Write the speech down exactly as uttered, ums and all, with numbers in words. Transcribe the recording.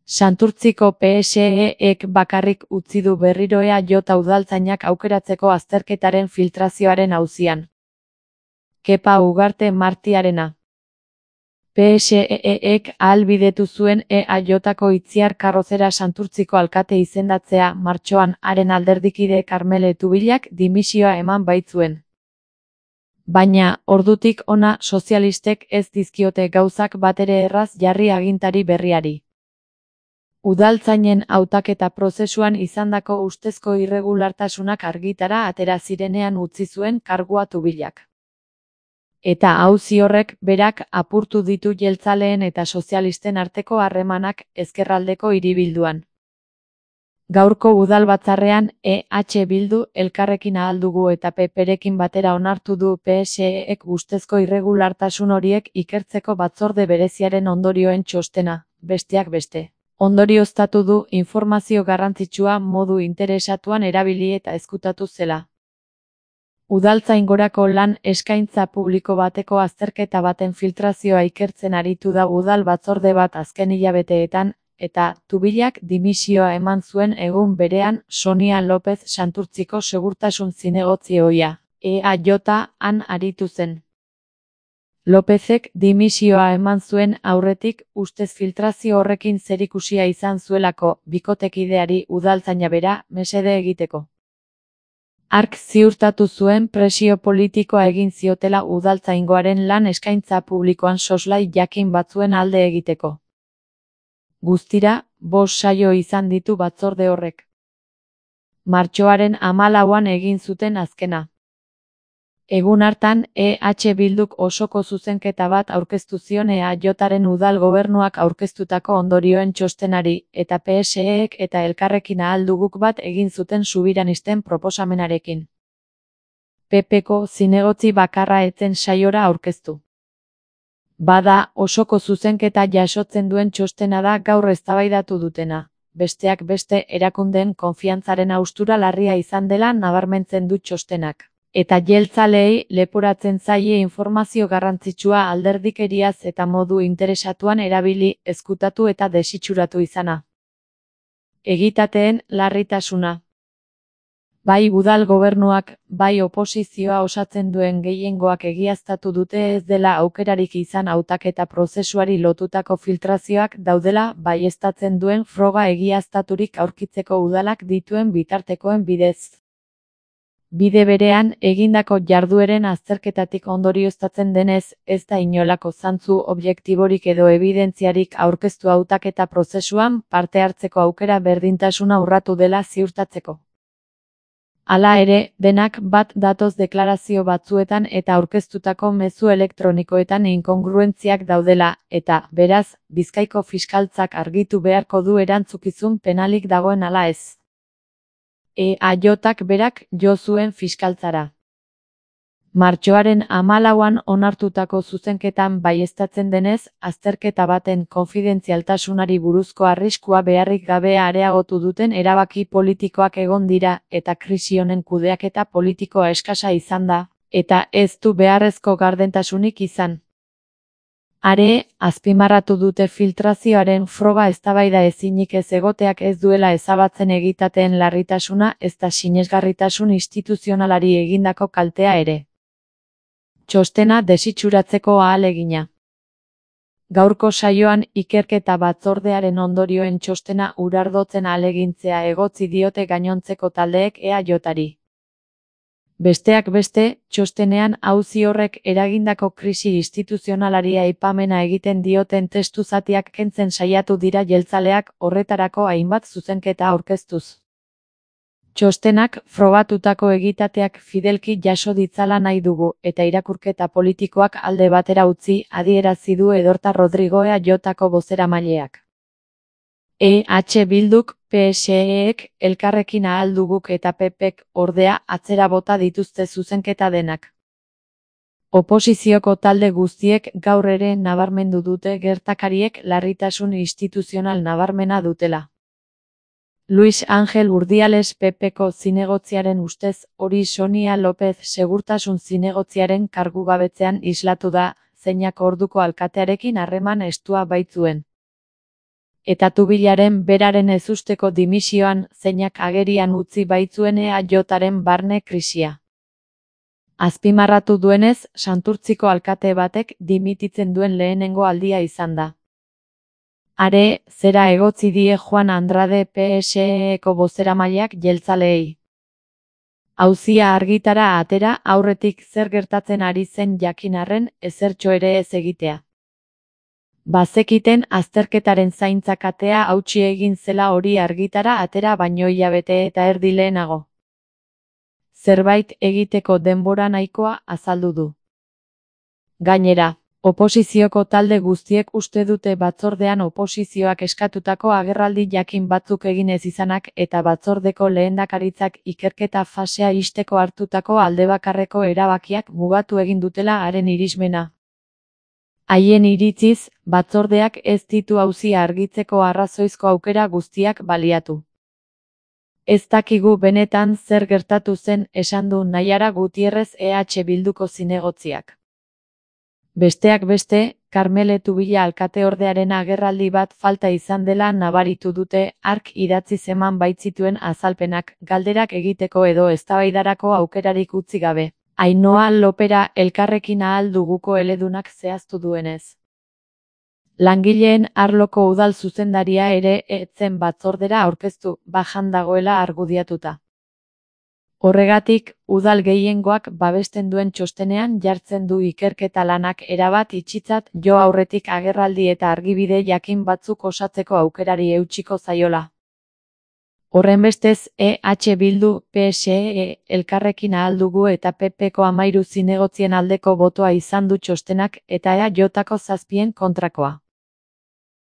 Santurtziko P S E-ek bakarrik utzi du berriro E A J udaltzainak aukeratzeko azterketaren filtrazioaren auzian. Kepa Ugarte Martiarena. P S E-ek ahalbidetu zuen E A Jko Itziar Karrozera Santurtziko alkate izendatzea martxoan haren alderdikide Karmele Tubilak dimisioa eman baitzuen. Baina, ordutik hona sozialistek ez dizkiote gauzak batere erraz jarri agintari berriari. Udaltzainen hautaketa prozesuan izandako ustezko irregulartasunak argitara atera zirenean utzi zuen kargua Tubilak. Eta auzi horrek berak apurtu ditu jeltzaleen eta sozialisten arteko harremanak ezkerraldeko hiribilduan. Gaurko udalbatzarrean E H Bildu, Elkarrekin Ahal Dugu eta P P-rekin batera onartu du P S E-ek ustezko irregulartasun horiek ikertzeko batzorde bereziaren ondorioen txostena, besteak beste. Ondorioztatu du informazio garrantzitsua modu interesatuan erabili eta ezkutatu zela. Udaltzaingorako lan eskaintza publiko bateko azterketa baten filtrazioa ikertzen aritu da udal batzorde bat azken hilabeteetan, eta Tubilak dimisioa eman zuen egun berean Sonia López Santurtziko segurtasun zinegotzi ohia, E A J-an aritu zen. Lópezek dimisioa eman zuen aurretik ustez filtrazio horrekin zerikusia izan zuelako bikotekideari udaltzaina bera mesede egiteko. Hark ziurtatu zuen presio politikoa egin ziotela udaltzaingoaren lan eskaintza publikoan soslai jakin batzuen alde egiteko. Guztira, bost saio izan ditu batzorde horrek. Martxoaren hamalauan egin zuten azkena. Egun hartan, E H Bilduk osoko zuzenketa bat aurkeztu zion E A Jaren udal gobernuak aurkeztutako ondorioen txostenari, eta P S E-ek eta Elkarrekin Ahal Duguk bat egin zuten subiranisten proposamenarekin. P P-ko zinegotzi bakarra etzen saiora aurkeztu. Bada, osoko zuzenketa jasotzen duen txostena da gaur eztabaidatu dutena, besteak beste erakundeen konfiantzaren haustura larria izan dela nabarmentzen du txostenak. Eta jeltzaleei leporatzen zaie informazio garrantzitsua alderdikeriaz eta modu interesatuan erabili, ezkutatu eta desitxuratu izana. Egitateen larritasuna. Bai udal gobernuak, bai oposizioa osatzen duen gehiengoak egiaztatu dute ez dela aukerarik izan hautaketa prozesuari lotutako filtrazioak daudela baieztatzen duen froga egiaztaturik aurkitzeko udalak dituen bitartekoen bidez. Bide berean, egindako jardueren azterketatik ondorioztatzen denez, ez da inolako zantzu objektiborik edo ebidentziarik aurkeztu hautaketa prozesuan parte hartzeko aukera berdintasuna urratu dela ziurtatzeko. Hala ere, denak bat datoz deklarazio batzuetan eta aurkeztutako mezu elektronikoetan inkongruentziak daudela, eta, beraz, Bizkaiko fiskaltzak argitu beharko du erantzukizun penalik dagoen ala ez. E A Jak berak jo zuen fiskaltzara. Martxoaren hamalauan onartutako zuzenketan baieztatzen denez, azterketa baten konfidentzialtasunari buruzko arriskua beharrik gabe areagotu duten erabaki politikoak egon dira, eta krisi honen kudeaketa politikoa eskasa izan da, eta ez du beharrezko gardentasunik izan. Are, azpimarratu dute filtrazioaren froga eztabaida ezinik ez egoteak ez duela ezabatzen egitateen larritasuna ezta sinesgarritasun instituzionalari egindako kaltea ere. Txostena desitxuratzeko ahalegina. Gaurko saioan ikerketa batzordearen ondorioen txostena urardotzen ahalegintzea egotzi diote gainontzeko taldeek E A Jari. Besteak beste, txostenean auzi horrek eragindako krisi instituzionalari aipamena egiten dioten testu zatiak kentzen saiatu dira jeltzaleak horretarako hainbat zuzenketa aurkeztuz. Txostenak frogatutako egitateak fidelki jaso ditzala nahi dugu, eta irakurketa politikoak alde batera utzi adierazi du Edorta Rodrigo E A Jko bozeramaileak. E H Bilduk, P S E-ek, Elkarrekin Ahal Duguk eta P P-ek ordea atzera bota dituzte zuzenketa denak. Oposizioko talde guztiek gaur ere nabarmendu dute gertakariek larritasun instituzional nabarmena dutela. Luis Ángel Urdiales P P-ko zinegotziaren ustez, hori Sonia López segurtasun zinegotziaren kargugabetzean islatu da, zeinak orduko alkatearekin harreman estua baitzuen. eta tubilaren beraren ezusteko dimisioan zeinak agerian utzi baitzuen E A Jaren barne krisia. Azpimarratu duenez, Santurtziko alkate batek dimititzen duen lehenengo aldia izan da. Are, zera egotzi die Juan Andrade P S E-ko bozeramaileak jeltzaleei. Auzia argitara atera aurretik zer gertatzen ari zen jakin arren ezertxo ere ez egitea. Bazekiten azterketaren zaintza katea hautsi egin zela hori argitara atera baino hilabete eta erdi lehenago. Zerbait egiteko denbora nahikoa azaldu du. Gainera, oposizioko talde guztiek uste dute batzordean oposizioak eskatutako agerraldi jakin batzuk egin ez izanak eta batzordeko lehendakaritzak ikerketa fasea ixteko hartutako aldebakarreko erabakiak mugatu egin dutela haren irismena. Haien iritziz, batzordeak ez ditu auzia argitzeko arrazoizko aukera guztiak baliatu. Ez dakigu benetan zer gertatu zen esan du Naiara Gutierrez E H Bilduko zinegotziak. Besteak beste, Karmele Tubila alkateordearen agerraldi bat falta izan dela nabaritu dute hark idatziz eman baitzituen azalpenak galderak egiteko edo eztabaidarako aukerarik utzi gabe. Ainhoa Lopera Elkarrekin ahal duguko eledunak zehaztu duenez. Langileen arloko udal zuzendaria ere ez zen batzordera aurkeztu, bajan dagoela argudiatuta. Horregatik, udal gehiengoak babesten duen txostenean jartzen du ikerketa lanak erabat itxitzat jo aurretik agerraldi eta argibide jakin batzuk osatzeko aukerari eutsiko zaiola. Horrenbestez, E H Bildu, P S E, Elkarrekin ahal dugu eta P P-ko hamairu zinegotzien aldeko botoa izan du txostenak eta E A Jko zazpien kontrakoa.